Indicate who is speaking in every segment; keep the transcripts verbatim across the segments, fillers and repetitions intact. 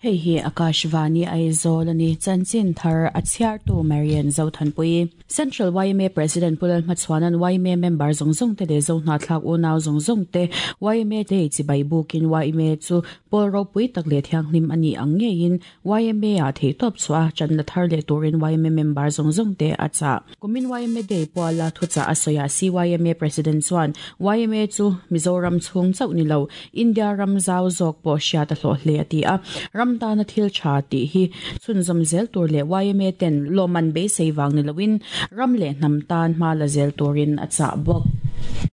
Speaker 1: Hei hi Akashvani Aizawl ani chanchin thar a chhiartu Marian Zothanpui. Central Y M A President Pu Lalhmachhuana'n Y M A member zawng zawng te leh Zohnahthlak unau zawng zawng te Y M A Day chibai bukin Y M A chu pawl ropui tak leh thianghlim ani ang ngeiin Y M A ah theihtawp chhuah a chan la thar leh turin Y M A member zawng zawng te a chah. Kumin Y M A Day puala thuchah a sawiah C Y M A President chuan Y M A chu Mizoram chhung chauh ni lo India ram zau zawk pawh hriat a hlawh hle a ti a. Ram tana thil tha tih hi chhunzawm zel tur leh Y M A ten lawmman beisei wang ni loin ram leh hnam tan hma la zel turin a chah bawk.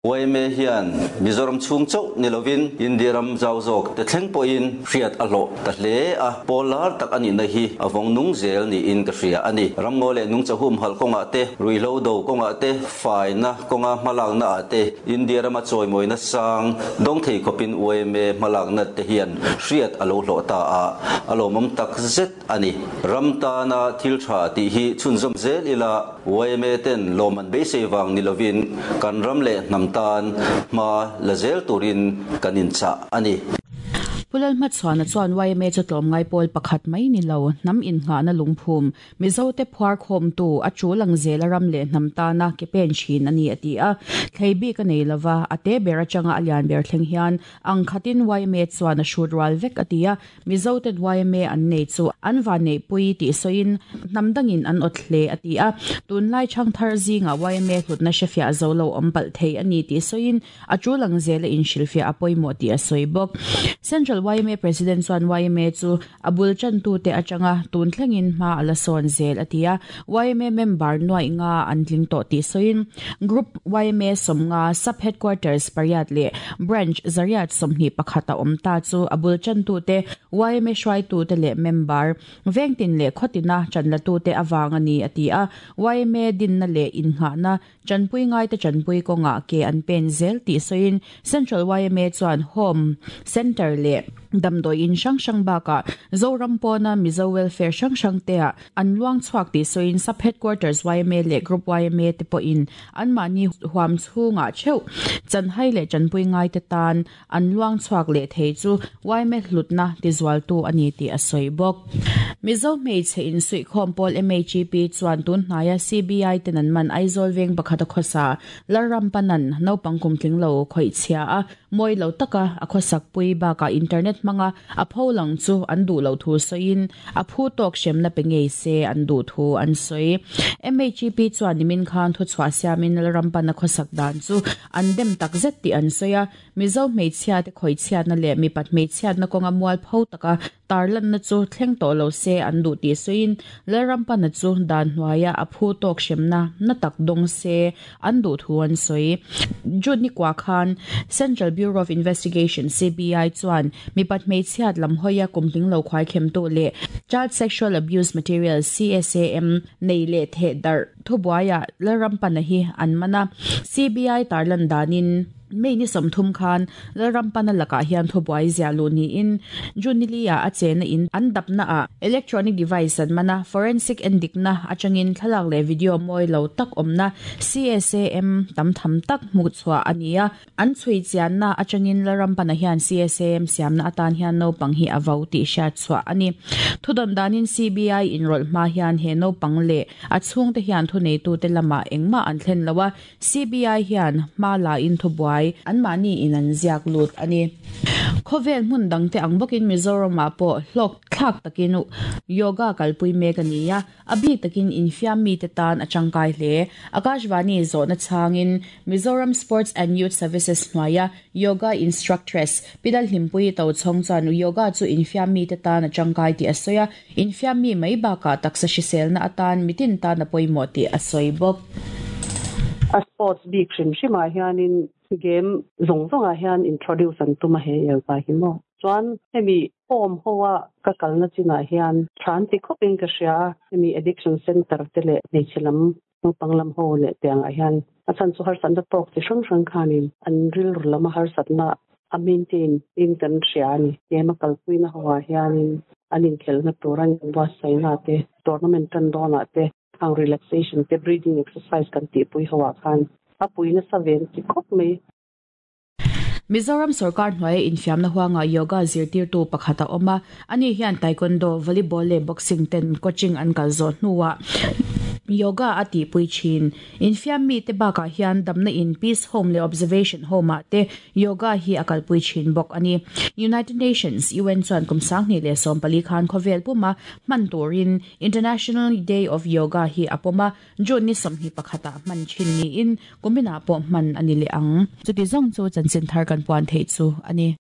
Speaker 2: Y M A hian Mizoram chhung chauh ni lovin India ram zau zawk te thleng pawhin hriat a hlawh ta hle a, pawlar tak ani na hi a vawng nung zel niin ka hria ani. Ramngaw leh nungcha humhalh kawnga te, ruihhlo do kawnga te, faina kawnga hmalak na ah te India rama chawimawina sang dawng thei khawpin Y M A hmalak na te hian hriat a lo hlawh ta a, a lawmawm tak zet ani. Ram tana thil tha tih hi chhunzawm zel ila, Y M A ten lawmman beisei wang ni lovin kan ram leh hnam tan hma la zel turin kan in chah ani.
Speaker 1: Pu Lalhmachhuana chuan Y M A chu tlawmngai pawl pakhat mai ni lo hnam in nga na lungphum Mizo te phuar khawm tu a chu lang zel a ram leh hnam tana ke pen thin ani a ti a. Thlei bik a nei lova, a te ber atanga a lian ber thleng hian ang khatin Y M A chuan a hrut rual vek a ti a. Mizo ten Y M A an nei chu an van nei pui tih sawiin hnam dangin an awt hle a ti a. Tunlai chang thar zinga Y M A hlutna hrefia zo lo awm palh thei ani tih sawiin a chu lang zel a inhrilhfiah a pawimawh tih a sawi bawk. Central Y M A President chuan Y M A chu a bul chan tu te atanga tun thlengin hma ala sawn zel a ti a. Y M A member nuai nga an tling tawh tih sawiin Group Y M A sawmnga, sub headquarters pariat leh branch zariat sawmhnih pakhat a awm ta chu a bul chan tu te, Y M A hruai tu te leh member vengtin leh khawtina chan la tu te awang ani a ti a. Y M A din na leh in nga na chanpui ngai te chanpui kawnga ke an pen zel tih sawiin Central Y M A chuan home center leh damdawi in hrang hrang baka Zoram pawna Mizo welfare hrang hrang te a an luang chhuak tih sawiin sub headquarters Y M A leh Group Y M A te pawhin an mahni huam chhunga theuh chanhai leh chanpui ngai te tan an luang chhuak leh thei chu Y M A hlutna tizual tu ani tih a sawi bawk. Mizo hmeichhe in suihkhawm pawl M H P chuan tun hnaia C B I ten an man Aizawl veng pakhat a khawsa Lalrampanan naupang kum tling lo khawih chhia a mawi lo taka a khawsak pui baka internet hmanga a pholang chu an duh lo thu sawiin a phu tawk hremna pe ngei se an duh thu an sawi. M H P chuan nimin khan thu chhuah siamin Lalrampan a khawsak dan chu an dem tak zet tih an sawi a. Mizo hmeichhia te khawih chhiatna leh mipat hmeichhiatna kawnga mual pho taka tarlan na chu thleng tawh lo se an duh tih sawiin Lalrampana chu dan hnuaia a phu tawk hremna na tak dawng se an duh thu an sawi. June ni kwa khan Central Bureau of Investigation, C B I chuan mipat hmeichhiat lam hawia kumtling lo khwai khem tu leh Child Sexual Abuse Material, C S A M nei leh the dar thubuaia Lalrampana hi an mana. C B I tarlan danin May ni sawmthum khan Lalrampana lakah hian thubuai zia lu niin Junilia a chena in an dapna a electronic device an mana. Forensic endikna atangin thlalak leh video mawi lo tak awmna C S A M tam tham tak hmu chhuah ania. An chui chianna atangin Lalrampana hian C S A M siamna atan hian naupang hi a vo tih hriat chhuah ani. Thudon danin C B I in rawlh hma hian he naupang leh a chhungte hian thu neitu te lama engmah an thlen lowa. C B I hian hma la in thubuai an mahni in an ziak lut ani. Khawvel hmun dangte ang bawkin Mizoram ah pawh hlawk thlak takin yoga kalpui mek ani a, a bik takin infiam mi te tan a tangkai hle. Akashvani zawhna changin Mizoram Sports and Youth Services hnuaia yoga instructress Pidal Hlimpui to chhong chuan yoga chu infiam mi te tan a tangkai tih a sawi a, infiam mi mai bakah taksa hriselna atan mitin tan a pawimawh tih a sawi bawk.
Speaker 3: A sports bik hrim hrima hianin game zawng zawngah hian introduce an tuma he yoga hi mo chuan hemi home hoa ka kalna chinah hian than ti khawpin ka hria. Hemi addiction center te leh hmeichhe lam naupang lam ho leh tiangah hian a chan chu harsatna tawk chi hrang hrang khanin an rilru lama harsatna a maintain in kan hria ani. Game a kalpuina hoa hianin an inkhelhna tur an buatsaihna te, tournament tan dawnah te ang relaxation te, breathing exercise kan tihpui hoa khan a puina sa ven ti khawp mai.
Speaker 1: Mizoram sarkar hnuai infiamna huanga yoga zirtirtu pakhata awma ani hian taekwondo volleyball le boxing ten coaching an kal zo hnuwa yoga ati pui chin infiam mi te baka hian damna in peace home le observation home te yoga hi akal pui chin bok ani United Nations U N chuan kumsang ni le som pali khan khovel puma man turin International Day of Yoga hi apoma June ni som hi pakhata man chin ni in kumina po man ani le ang chuti zong chu chanchin thar kan puan thei chu ani.